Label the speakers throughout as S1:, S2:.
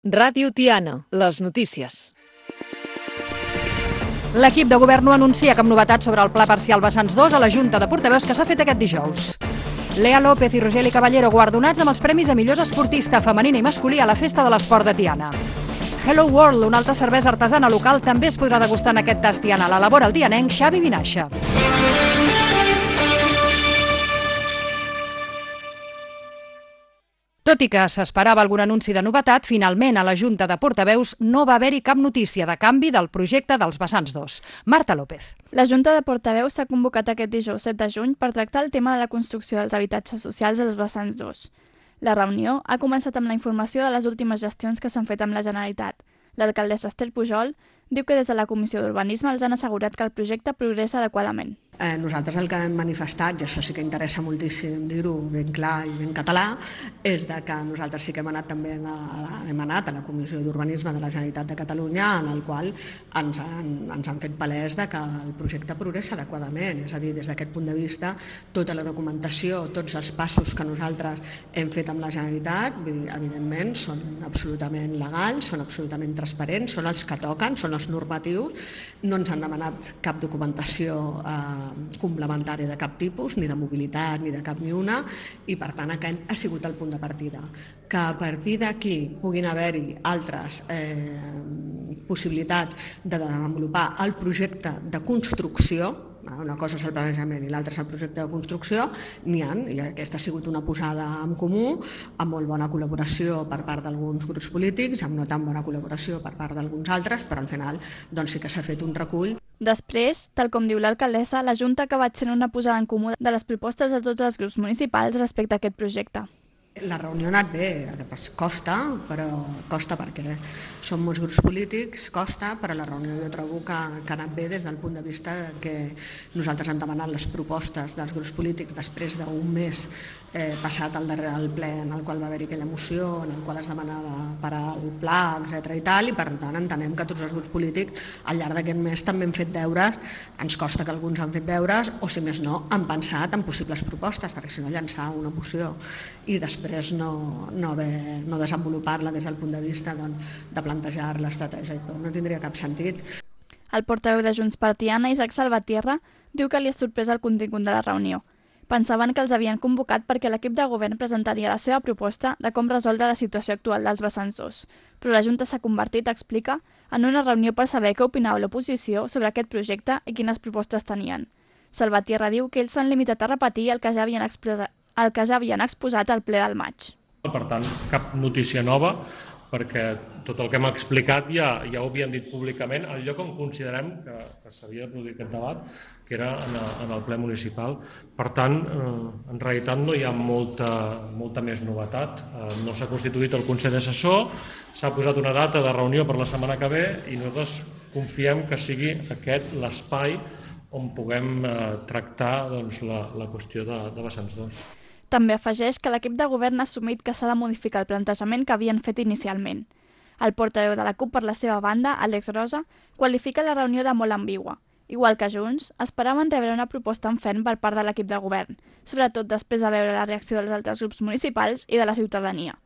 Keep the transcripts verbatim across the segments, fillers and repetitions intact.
S1: Ràdio Tiana, les notícies.
S2: L'equip de govern no anuncia cap novetat sobre el pla parcial Vessants dos a la Junta de Portaveus que s'ha fet aquest dijous. Lea López i Rogeli Caballero guardonats amb els premis a millors esportista femenina i masculí a la Festa de l'Esport de Tiana. Hello World, una altra cervesa artesana local, també es podrà degustar en aquest tast Tiana. L'elabora el tianenc Xavi Vinaixa. Tot i que s'esperava algun anunci de novetat, finalment a la Junta de Portaveus no va haver-hi cap notícia de canvi del projecte dels Vessants dos. Marta López.
S3: La Junta de Portaveus s'ha convocat aquest dijous set de juny per tractar el tema de la construcció dels habitatges socials als Vessants dos. La reunió ha començat amb la informació de les últimes gestions que s'han fet amb la Generalitat. L'alcaldessa Esther Pujol diu que des de la Comissió d'Urbanisme els han assegurat que el projecte progressa adequadament.
S4: Eh, nosaltres el que hem manifestat, i això sí que interessa moltíssim dir-ho ben clar i ben català, és de que nosaltres sí que hem anat també a, hem anat a la Comissió d'Urbanisme de la Generalitat de Catalunya, en el qual ens han, ens han fet palès de que el projecte progressa adequadament, és a dir, des d'aquest punt de vista, tota la documentació, tots els passos que nosaltres hem fet amb la Generalitat, evidentment, són absolutament legals, són absolutament transparents, són els que toquen, són els normatius, no ens han demanat cap documentació eh, complementària de cap tipus, ni de mobilitat, ni de cap ni una, i per tant aquest ha sigut el punt de partida. Que a partir d'aquí puguin haver-hi altres eh, possibilitats de desenvolupar el projecte de construcció, una cosa és el planejament i l'altra és el projecte de construcció, n'hi ha, i aquesta ha sigut una posada en comú, amb molt bona col·laboració per part d'alguns grups polítics, amb no tan bona col·laboració per part d'alguns altres, però al final doncs, sí que s'ha fet un recull.
S3: Després, tal com diu l'alcaldessa, la Junta ha acabat sent una posada en comú de les propostes de tots els grups municipals respecte a aquest projecte.
S4: La reunió ha anat bé, costa, però costa perquè som molts grups polítics, costa, però la reunió jo trobo que, que ha anat bé des del punt de vista que nosaltres hem demanat les propostes dels grups polítics després d'un mes eh, passat al darrer al ple en el qual va haver-hi aquella moció, en el qual es demanava per al pla, etcètera i tal, i per tant entenem que tots els grups polítics al llarg d'aquest mes també hem fet deures, ens costa que alguns han fet deures, o si més no, han pensat en possibles propostes, perquè si no llançar una moció i després no, no, haver, no desenvolupar-la des del punt de vista doncs, de plantejar l'estratègia i tot, no tindria cap sentit.
S3: El portaveu de Junts per Tiana, Isaac Salvatierra, diu que li ha sorprès el contingut de la reunió. Pensaven que els havien convocat perquè l'equip de govern presentaria la seva proposta de com resoldre la situació actual dels Vessants dos, però la Junta s'ha convertit, explica, en una reunió per saber què opinava l'oposició sobre aquest projecte i quines propostes tenien. Salvatierra diu que ells s'han limitat a repetir el que ja havien expressat el que ja havien exposat al ple del maig.
S5: Per tant, cap notícia nova, perquè tot el que hem explicat ja, ja ho havien dit públicament, al lloc on considerem que, que s'havia de produir aquest debat, que era en el, en el ple municipal. Per tant, eh, en realitat no hi ha molta, molta més novetat. Eh, no s'ha constituït el Consell Assessor, s'ha posat una data de reunió per la setmana que ve i nosaltres confiem que sigui aquest l'espai on puguem eh, tractar doncs, la, la qüestió de, de Vessants dos.
S3: També afegeix que l'equip de govern ha assumit que s'ha de modificar el plantejament que havien fet inicialment. El portaveu de la CUP, per la seva banda, Àlex Rosa, qualifica la reunió de molt ambigua. Igual que Junts, esperaven rebre una proposta en ferm per part de l'equip de govern, sobretot després de veure la reacció dels altres grups municipals i de la ciutadania.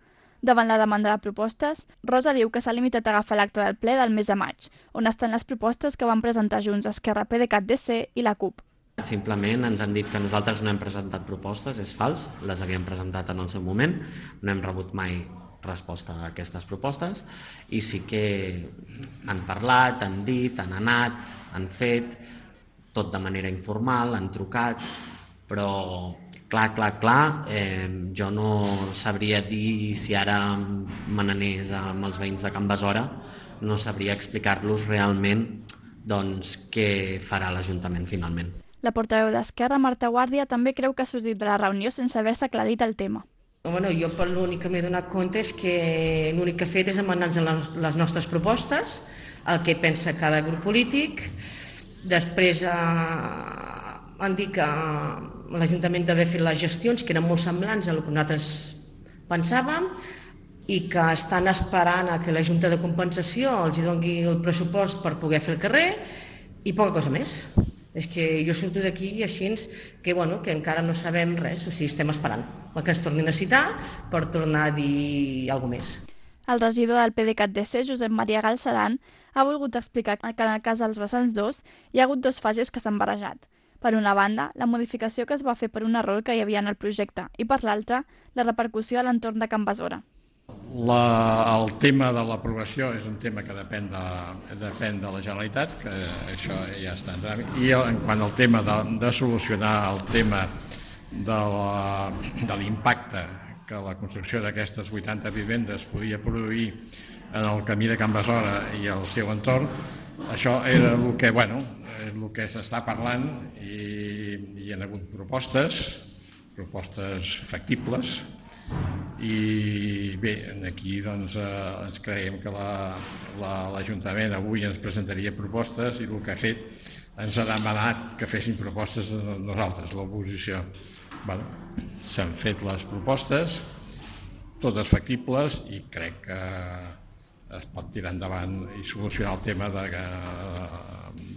S3: Davant la demanda de propostes, Rosa diu que s'ha limitat a agafar l'acte del ple del mes de maig, on estan les propostes que van presentar Junts, Esquerra, PDeCAT, D C i la CUP.
S6: Simplement ens han dit que nosaltres no hem presentat propostes, és fals, les havíem presentat en el seu moment, no hem rebut mai resposta a aquestes propostes i sí que han parlat, han dit, han anat, han fet, tot de manera informal, han trucat, però clar, clar, clar, eh, jo no sabria dir si ara me n'anés amb els veïns de Can Besora, no sabria explicar-los realment doncs, què farà l'Ajuntament finalment.
S3: La portaveu d'Esquerra, Marta Guàrdia, també creu que ha sortit de la reunió sense haver-se aclarit el tema.
S7: Bueno, jo per l'únic que m'he donat compte és que l'únic que he fet és demanar-nos les nostres propostes, el que pensa cada grup polític. Després eh, han dit que l'Ajuntament d'haver fet les gestions, que eren molt semblants a el que nosaltres pensàvem, i que estan esperant a que la Junta de Compensació els doni el pressupost per poder fer el carrer i poca cosa més. És que jo surto d'aquí així que, bueno, que encara no sabem res, o sigui, estem esperant el que ens tornin a citar per tornar a dir alguna cosa més.
S3: El regidor del P D C A T D C, Josep Maria Galceran, ha volgut explicar que en el cas dels vessants dos hi ha hagut dues fases que s'han barrejat. Per una banda, la modificació que es va fer per un error que hi havia en el projecte i per l'altra, la repercussió a l'entorn de Can Besora.
S8: La, el tema de l'aprovació és un tema que depèn de, depèn de la Generalitat, que això ja està en tràmit. I en quant al tema de, de solucionar el tema de l'impacte que la construcció d'aquestes vuitanta vivendes podia produir en el camí de Can Besora i el seu entorn, això era el que, bueno, és el que s'està parlant i hi ha hagut propostes, propostes factibles, i bé, aquí doncs ens creiem que l'Ajuntament avui ens presentaria propostes i el que ha fet ens ha demanat que fessin propostes a nosaltres, l'oposició. Bueno, s'han fet les propostes, totes factibles, i crec que es pot tirar endavant i solucionar el tema de,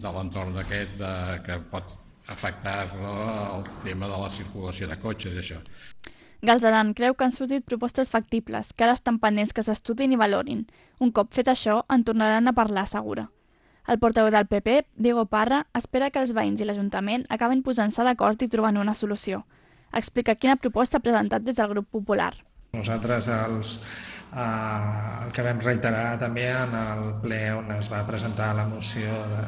S8: de l'entorn d'aquest que pot afectar el tema de la circulació de cotxes i això.
S3: Galceran creu que han sortit propostes factibles, que ara estan pendents que s'estudin i valorin. Un cop fet això, en tornaran a parlar, assegura. El portaveu del P P, Diego Parra, espera que els veïns i l'Ajuntament acaben posant-se d'acord i trobant una solució. Explica quina proposta ha presentat des del grup popular.
S9: Nosaltres els, eh, el que vam reiterar també en el ple on es va presentar la moció de,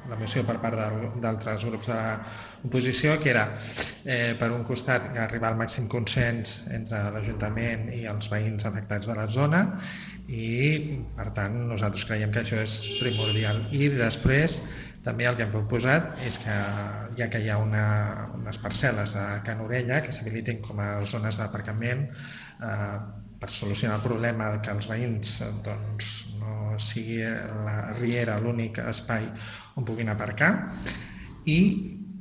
S9: la moció per part d'altres grups de l'oposició, que era eh, per un costat arribar al màxim consens entre l'Ajuntament i els veïns afectats de la zona, i per tant nosaltres creiem que això és primordial. I després també el que hem proposat és que, ja que hi ha una, unes parcel·les a Can Orella que s'habilitin com a zones d'aparcament eh, per solucionar el problema que els veïns doncs, no sigui la riera l'únic espai on puguin aparcar, i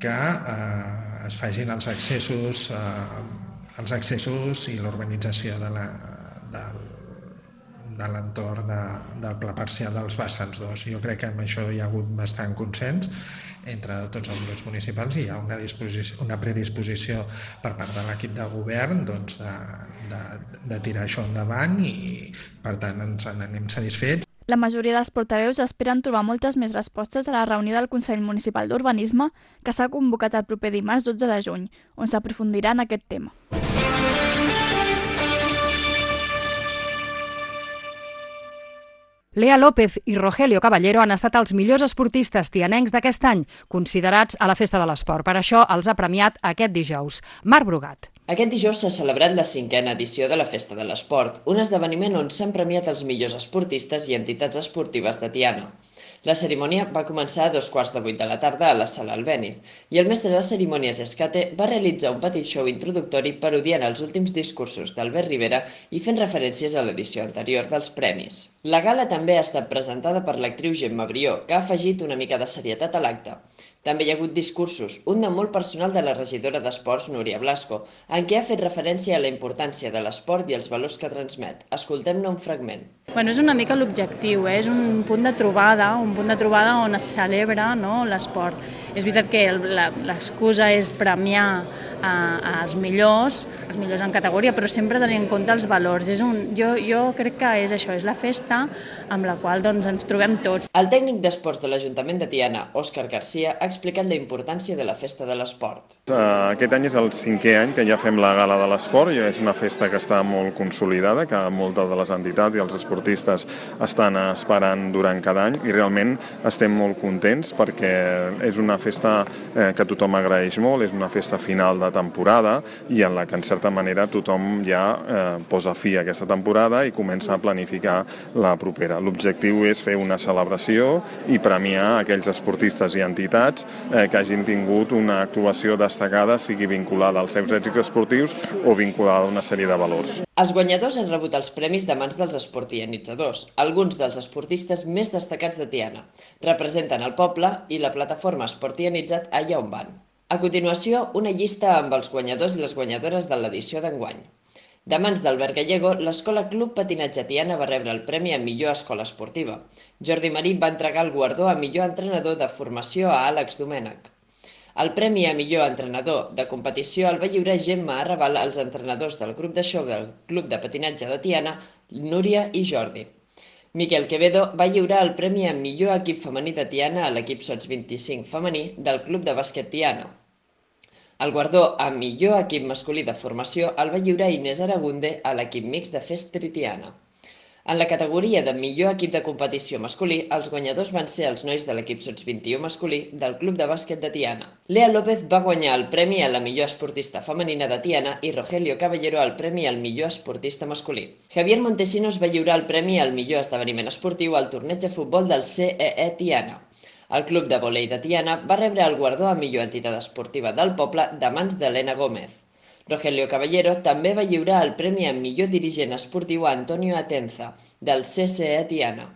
S9: que eh, es facin els accessos, eh, els accessos i l'urbanització de la, del, de l'entorn de, del pla parcial dels vessants dos. Jo crec que amb això hi ha hagut bastant consens entre tots els grups municipals i hi ha una, una predisposició per part de l'equip de govern doncs, de, de, de tirar això endavant, i per tant ens en anem satisfets.
S3: La majoria dels portaveus esperen trobar moltes més respostes a la reunió del Consell Municipal d'Urbanisme que s'ha convocat el proper dimarts dotze de juny, on s'aprofundirà en aquest tema.
S2: Lea López i Rogelio Caballero han estat els millors esportistes tianencs d'aquest any, considerats a la Festa de l'Esport. Per això els ha premiat aquest dijous. Marc Brugat.
S10: Aquest dijous s'ha celebrat la cinquena edició de la Festa de l'Esport, un esdeveniment on s'han premiat els millors esportistes i entitats esportives de Tiana. La cerimònia va començar a dos quarts de vuit de la tarda a la sala Albéniz i el mestre de cerimònies Escate va realitzar un petit show introductori parodiant els últims discursos d'Albert Rivera i fent referències a l'edició anterior dels premis. La gala també ha estat presentada per l'actriu Gemma Brió, que ha afegit una mica de serietat a l'acte. També hi ha hagut discursos, un de molt personal de la regidora d'Esports, Núria Blasco, en què ha fet referència a la importància de l'esport i els valors que transmet. Escoltem-ne un fragment.
S11: Bueno, és una mica l'objectiu, eh? És un punt de trobada, un punt de trobada on es celebra, no, l'esport. És veritat que l'excusa és premiar a, als millors, els millors en categoria, però sempre tenint en compte els valors. És un, jo, jo crec que és això, és la festa amb la qual doncs, ens trobem tots.
S10: El tècnic d'esports de l'Ajuntament de Tiana, Òscar Garcia, ha explicat la importància de la Festa de l'Esport.
S12: Aquest any és el cinquè any que ja fem la Gala de l'Esport, i és una festa que està molt consolidada, que moltes de les entitats i els esportistes estan esperant durant cada any, i realment estem molt contents perquè és una festa que tothom agraeix molt, és una festa final de temporada i en la que en certa manera tothom ja eh, posa fi a aquesta temporada i comença a planificar la propera. L'objectiu és fer una celebració i premiar aquells esportistes i entitats eh, que hagin tingut una actuació destacada, sigui vinculada als seus èxits esportius o vinculada a una sèrie de valors.
S10: Els guanyadors han rebut els premis de mans dels esportianitzadors, alguns dels esportistes més destacats de Tiana. Representen el poble i la plataforma Esportianitzat allà on van. A continuació, una llista amb els guanyadors i les guanyadores de l'edició d'enguany. De mans d'Albert Gallego, l'Escola Club Patinatge Tiana va rebre el premi a millor escola esportiva. Jordi Marí va entregar el guardó a millor entrenador de formació a Àlex Domènech. El premi a millor entrenador de competició el va lliurar Gemma Arrabal als entrenadors del grup de show del Club de Patinatge de Tiana, Núria i Jordi. Miquel Quevedo va lliurar el premi a millor equip femení de Tiana a l'equip Sots vint-i-cinc femení del Club de Bàsquet Tiana. El guardó a millor equip masculí de formació el va lliurar Inés Aragunde a l'equip mixt de Festri Tiana. En la categoria de millor equip de competició masculí, els guanyadors van ser els nois de l'equip Sots vint-i-u masculí del Club de Bàsquet de Tiana. Lea López va guanyar el premi a la millor esportista femenina de Tiana i Rogelio Caballero el premi al millor esportista masculí. Javier Montesinos va lliurar el premi al millor esdeveniment esportiu al torneig de futbol del C E E Tiana. El Club de Volei de Tiana va rebre el guardó a millor entitat esportiva del poble de mans d'Helena Gómez. Rogelio Caballero també va lliurar el premi a millor dirigent esportiu a Antonio Atenza, del C C E Tiana.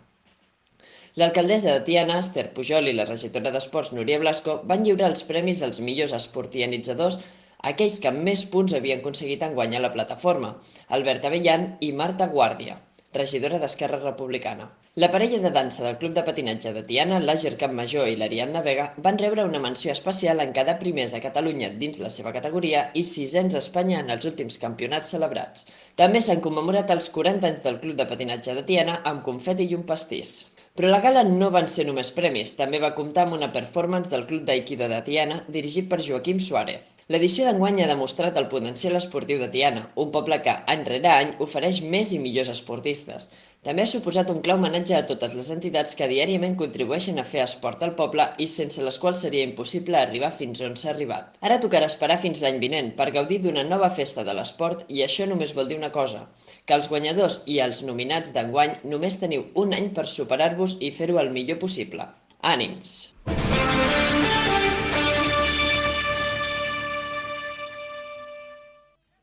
S10: L'alcaldessa de Tiana, Esther Pujol, i la regidora d'Esports, Núria Blasco, van lliurar els premis als millors esportianitzadors, aquells que amb més punts havien aconseguit enguany a la plataforma, Albert Avellan i Marta Guàrdia, regidora d'Esquerra Republicana. La parella de dansa del Club de Patinatge de Tiana, l'Àger Campmajor i l'Ariadna Vega, van rebre una menció especial en quedar primers a Catalunya dins la seva categoria i sisens a Espanya en els últims campionats celebrats. També s'han commemorat els quaranta anys del Club de Patinatge de Tiana amb confeti i un pastís. Però la gala no van ser només premis, també va comptar amb una performance del Club d'Aikido de Tiana dirigit per Joaquim Suárez. L'edició d'enguany ha demostrat el potencial esportiu de Tiana, un poble que, any rere any, ofereix més i millors esportistes. També ha suposat un clar homenatge a totes les entitats que diàriament contribueixen a fer esport al poble i sense les quals seria impossible arribar fins on s'ha arribat. Ara tocarà esperar fins l'any vinent per gaudir d'una nova festa de l'esport i això només vol dir una cosa, que els guanyadors i els nominats d'enguany només teniu un any per superar-vos i fer-ho el millor possible. Ànims!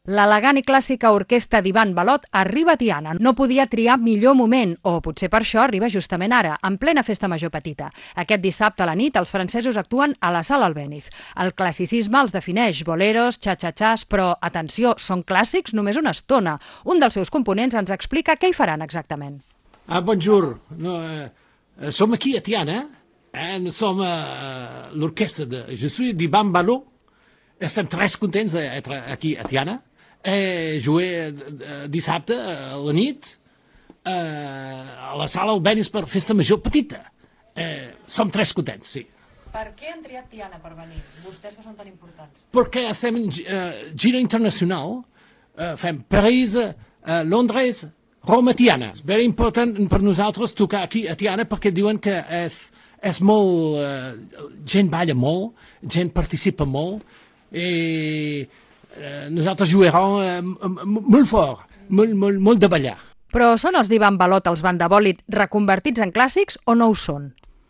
S2: L'elegant i clàssica orquestra d'Ivan Balot arriba a Tiana. No podia triar millor moment, o potser per això arriba justament ara, en plena festa major petita. Aquest dissabte a la nit els francesos actuen a la Sala Albéniz. El classicisme els defineix, boleros, xa-xa-xas, però, atenció, són clàssics només una estona. Un dels seus components ens explica què hi faran exactament.
S13: Ah, bonjour. No, eh, som aquí a Tiana. Eh, nous som eh, l'orquestra de... Je suis d'Ivan Balot. Estem tres contents d'être aquí a Tiana. Eh, jugué dissabte a la nit eh, a la Sala Albéniz per festa major petita. Eh, som tres contents, sí.
S2: Per què han triat Tiana per venir, vostès que són tan importants?
S13: Perquè estem en uh, gira internacional, uh, fem París, uh, Londres, Roma, Tiana. És very important per nosaltres tocar aquí a Tiana perquè diuen que és, és molt... Uh, gent balla molt, gent participa molt i... Eh, nosaltres jugarem eh, molt fort, molt, molt, molt de ballar.
S2: Però són els d'Ivan Balot, els bandabòlit, reconvertits en clàssics o no ho són?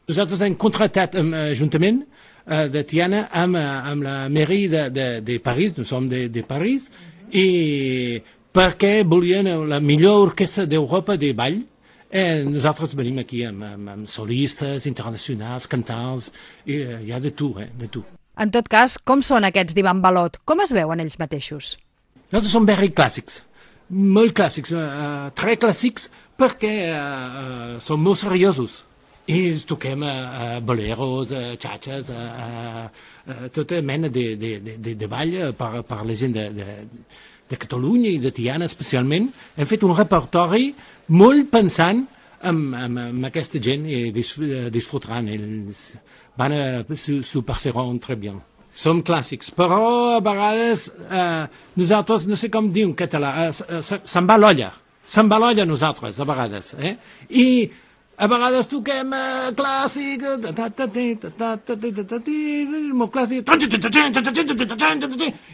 S13: Nosaltres hem contractat amb l'Ajuntament eh, de Tiana amb, amb la mairie de, de, de París, nous som de, de París, i perquè volien la millor orquestra d'Europa de ball. Eh, nosaltres venim aquí amb, amb, amb solistes internacionals, cantants, i eh, hi ha de tu, eh, de tu.
S2: En tot cas, com són aquests d'Ivan Balot? Com es veuen ells mateixos?
S13: Nosaltres som very clàssics, molt clàssics, uh, tres clàssics perquè uh, uh, som molt seriosos. I toquem uh, boleros, uh, xatxes, uh, uh, tota mena de, de, de, de ball per, per la gent de, de, de Catalunya i de Tiana especialment. Hem fet un repertori molt pensant amb, amb, amb aquesta gent i dis, disfrutaran. Ells van a s'ho passaran très bien. Som clàssics, però a vegades eh, nosaltres, no sé com dir en català, eh, se'n va l'olla, se'n va l'olla nosaltres, a vegades. Eh? I a vegades toquem eh, clàssic, molt clàssic,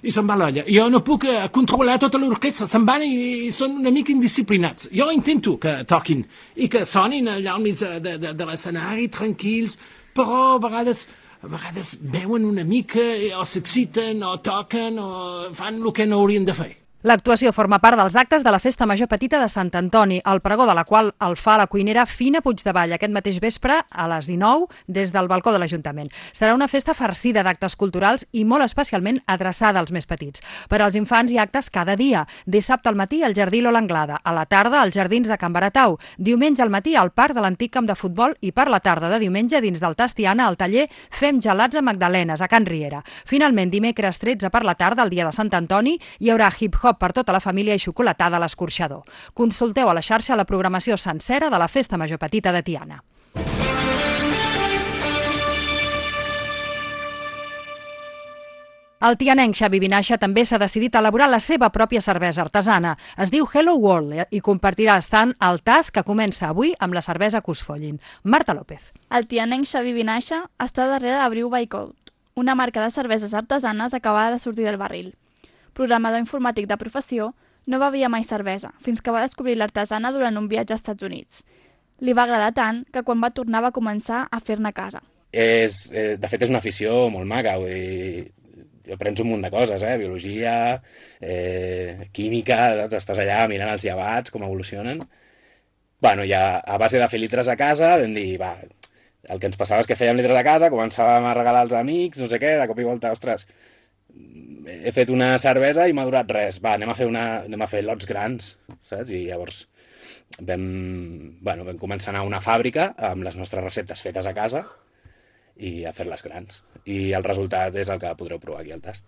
S13: i se'n va l'olla. Jo no puc eh, controlar tota l'orquestra, se'n van i, i són una mica indisciplinats. Jo intento que toquin i que sonin allà al mig de, de, de l'escenari, tranquils, però a vegades, a vegades veuen una mica o s'exciten o toquen o fan el que no haurien de fer.
S2: L'actuació forma part dels actes de la Festa Major Petita de Sant Antoni, el pregó de la qual el fa la cuinera Fina Puigdevall aquest mateix vespre a les dinou des del balcó de l'Ajuntament. Serà una festa farcida d'actes culturals i molt especialment adreçada als més petits. Per als infants hi ha actes cada dia. Dissabte al matí al Jardí Lola Anglada, a la tarda als Jardins de Can Baratau, diumenge al matí al Parc de l'Antic Camp de Futbol i per la tarda de diumenge dins del Tastiana al taller Fem gelats a Magdalenes, a Can Riera. Finalment, dimecres tretze per la tarda, el dia de Sant Antoni, hi haurà hip-hop cop per tota la família i xocolatada a l'escorxador. Consulteu a la xarxa la programació sencera de la Festa Major Petita de Tiana. El tianenc Xavi Vinaixa també s'ha decidit a elaborar la seva pròpia cervesa artesana. Es diu Hello World i compartirà estant al tas que comença avui amb la cervesa que us follin. Marta López.
S3: El tianenc Xavi Vinaixa està darrere de Brew by Code, una marca de cerveses artesanes acabada de sortir del barril. Programador informàtic de professió, no bevia mai cervesa, fins que va descobrir l'artesana durant un viatge als Estats Units. Li va agradar tant que quan va tornar va començar a fer-ne a casa.
S14: És, eh, de fet, és una afició molt maca, vull dir, aprens un munt de coses, eh? Biologia, eh, química, saps? Estàs allà mirant els llevats, com evolucionen. Bueno, ja a base de fer litres a casa vam dir, va, el que ens passava és que fèiem litres a casa, començàvem a regalar als amics, no sé què, de cop i volta, ostres, he fet una cervesa i m'ha durat res, va, anem a fer, una, anem a fer lots grans, saps? I llavors vam, bueno, vam començar a anar a una fàbrica amb les nostres receptes fetes a casa i a fer-les grans. I el resultat és el que podreu provar aquí al tast.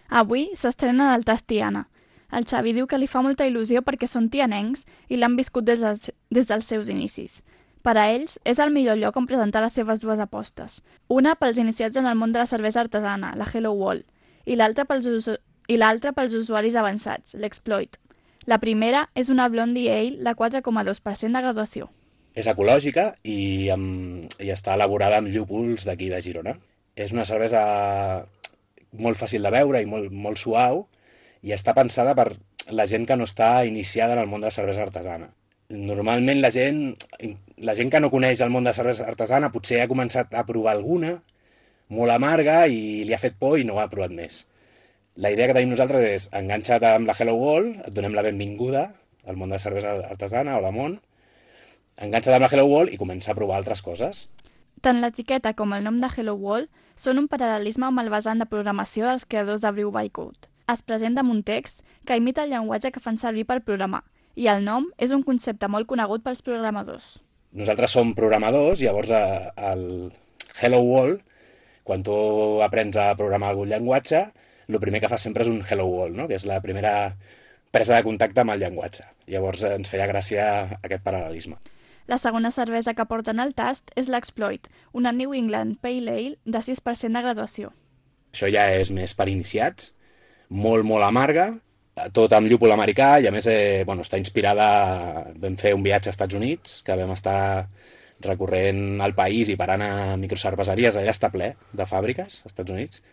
S3: Avui s'estrena el tast Tiana. El Xavi diu que li fa molta il·lusió perquè són tianencs i l'han viscut des dels, des dels seus inicis. Per a ells, és el millor lloc on presentar les seves dues apostes. Una pels iniciats en el món de la cervesa artesana, la Hello World, i l'altra pels, i l'altra pels usuaris avançats, l'Exploit. La primera és una Blondie Ale de quatre coma dos per cent de graduació.
S14: És ecològica i, amb, i està elaborada amb llúpols d'aquí de Girona. És una cervesa molt fàcil de beure i molt, molt suau i està pensada per la gent que no està iniciada en el món de la cervesa artesana. Normalment la gent, la gent que no coneix el món de la cervesa artesana potser ha començat a provar alguna, molt amarga i li ha fet por i no ha provat més. La idea que tenim nosaltres és enganxa't amb la Hello World, et donem la benvinguda al món de la cervesa artesana o la món, enganxa't amb la Hello World i comença a provar altres coses.
S3: Tant l'etiqueta com el nom de Hello World són un paral·lelisme amb el vessant de programació dels creadors de Brew by Code. Es presenta amb un text que imita el llenguatge que fan servir per programar, i el nom és un concepte molt conegut pels programadors.
S14: Nosaltres som programadors, llavors el Hello World, quan tu aprens a programar algun llenguatge, el primer que fas sempre és un Hello World, no? Que és la primera presa de contacte amb el llenguatge. Llavors ens feia gràcia aquest paral·lelisme.
S3: La segona cervesa que porten al tast és l'Exploit, una New England Pale Ale de sis per cent de graduació.
S14: Això ja és més per iniciats, molt, molt amarga, tot amb llúpol americà i a més eh, bueno, està inspirada, vam fer un viatge als Estats Units, que vam estar recorrent el país i parant a microcerveseries, allà està ple de fàbriques als Estats Units.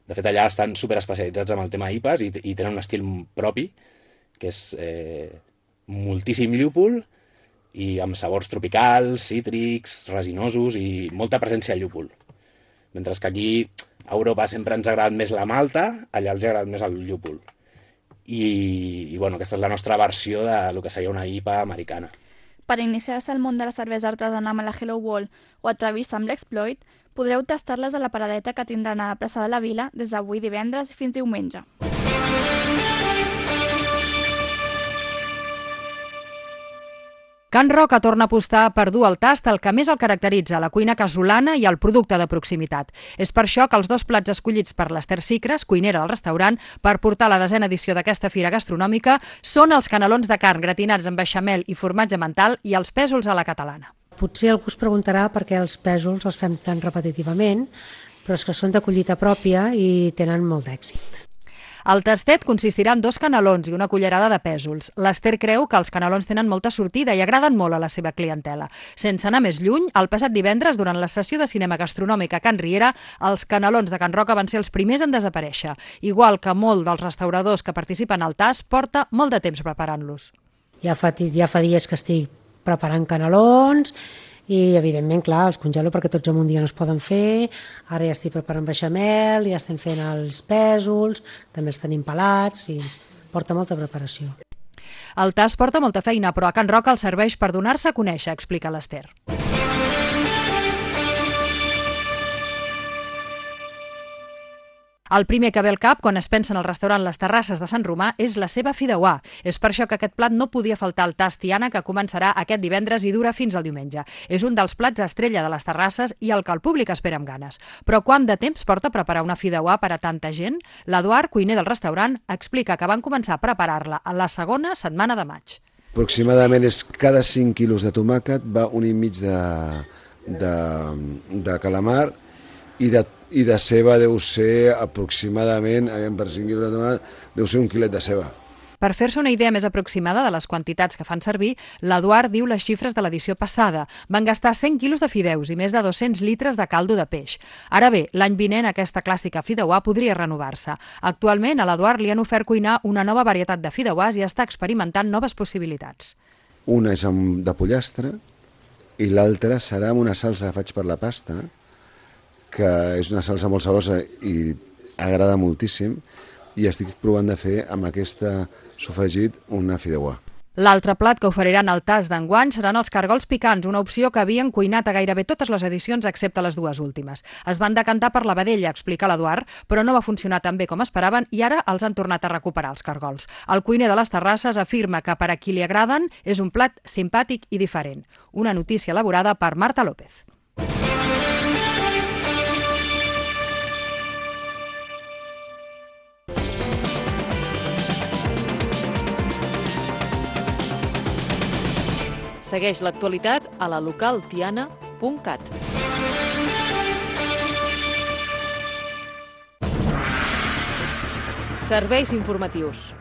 S14: De fet, allà estan superespecialitzats amb el tema I P As i, i tenen un estil propi, que és eh, moltíssim llúpol i amb sabors tropicals, cítrics, resinosos i molta presència de llúpol. Mentre que aquí a Europa sempre ens ha agradat més la malta, allà els ha agradat més el llúpol. I, i bueno, aquesta és la nostra versió de lo que seria una I P A americana.
S3: Per iniciar-se al món de la cervesa artesana amb la Hello World o atrevir-se amb l'Exploit, podreu tastar-les a la paradeta que tindran a la plaça de la Vila des d'avui divendres fins diumenge.
S2: Can Roca torna a apostar per dur al tast el que més el caracteritza, la cuina casolana i el producte de proximitat. És per això que els dos plats escollits per l'Ester Sicres, cuinera del restaurant, per portar la desena edició d'aquesta fira gastronòmica, són els canelons de carn gratinats amb beixamel i formatge mental i els pèsols a la catalana.
S15: Potser algú es preguntarà per què els pèsols els fem tan repetitivament, però és que són de collita pròpia i tenen molt d'èxit.
S2: El tastet consistirà en dos canelons i una cullerada de pèsols. L'Ester creu que els canelons tenen molta sortida i agraden molt a la seva clientela. Sense anar més lluny, el passat divendres, durant la sessió de cinema gastronòmic a Can Riera, els canelons de Can Roca van ser els primers en desaparèixer. Igual que molt dels restauradors que participen al tast, porta molt de temps preparant-los.
S15: Ja fa, ja fa dies que estic preparant canelons i, evidentment, clar, els congelo perquè tots en un dia no es poden fer. Ara ja estic preparant beixamel, ja estem fent els pèsols, també els tenim pelats i ens porta molta preparació.
S2: El tast porta molta feina, però a Can Roca el serveix per donar-se a conèixer, explica l'Ester. El primer que ve al cap quan es pensa en el restaurant Les Terrasses de Sant Romà és la seva fideuà. És per això que aquest plat no podia faltar al tast Tiana, que començarà aquest divendres i dura fins al diumenge. És un dels plats estrella de les terrasses i el que el públic espera amb ganes. Però quant de temps porta preparar una fideuà per a tanta gent? L'Eduard, cuiner del restaurant, explica que van començar a preparar-la a la segona setmana de maig.
S16: Aproximadament és cada cinc quilos de tomàquet va un i mig de, de, de calamar i de i de ceba deu ser aproximadament, per cinc quilos de tomàquet, deu ser un quilet de ceba.
S2: Per fer-se una idea més aproximada de les quantitats que fan servir, l'Eduard diu les xifres de l'edició passada. Van gastar cent quilos de fideus i més de dos-cents litres de caldo de peix. Ara bé, l'any vinent aquesta clàssica fideuà podria renovar-se. Actualment a l'Eduard li han ofert cuinar una nova varietat de fideuàs i està experimentant noves possibilitats.
S16: Una és amb de pollastre i l'altra serà amb una salsa que faig per la pasta, que és una salsa molt saborosa i agrada moltíssim, i estic provant de fer amb aquesta sofregit una fideuà.
S2: L'altre plat que oferiran al tast d'enguany seran els cargols picants, una opció que havien cuinat a gairebé totes les edicions excepte les dues últimes. Es van decantar per la vedella, explica l'Eduard, però no va funcionar tan bé com esperaven i ara els han tornat a recuperar els cargols. El cuiner de les Terrasses afirma que per a qui li agraden és un plat simpàtic i diferent. Una notícia elaborada per Marta López.
S1: Segueix l'actualitat a la local tiana punt cat. Serveis informatius.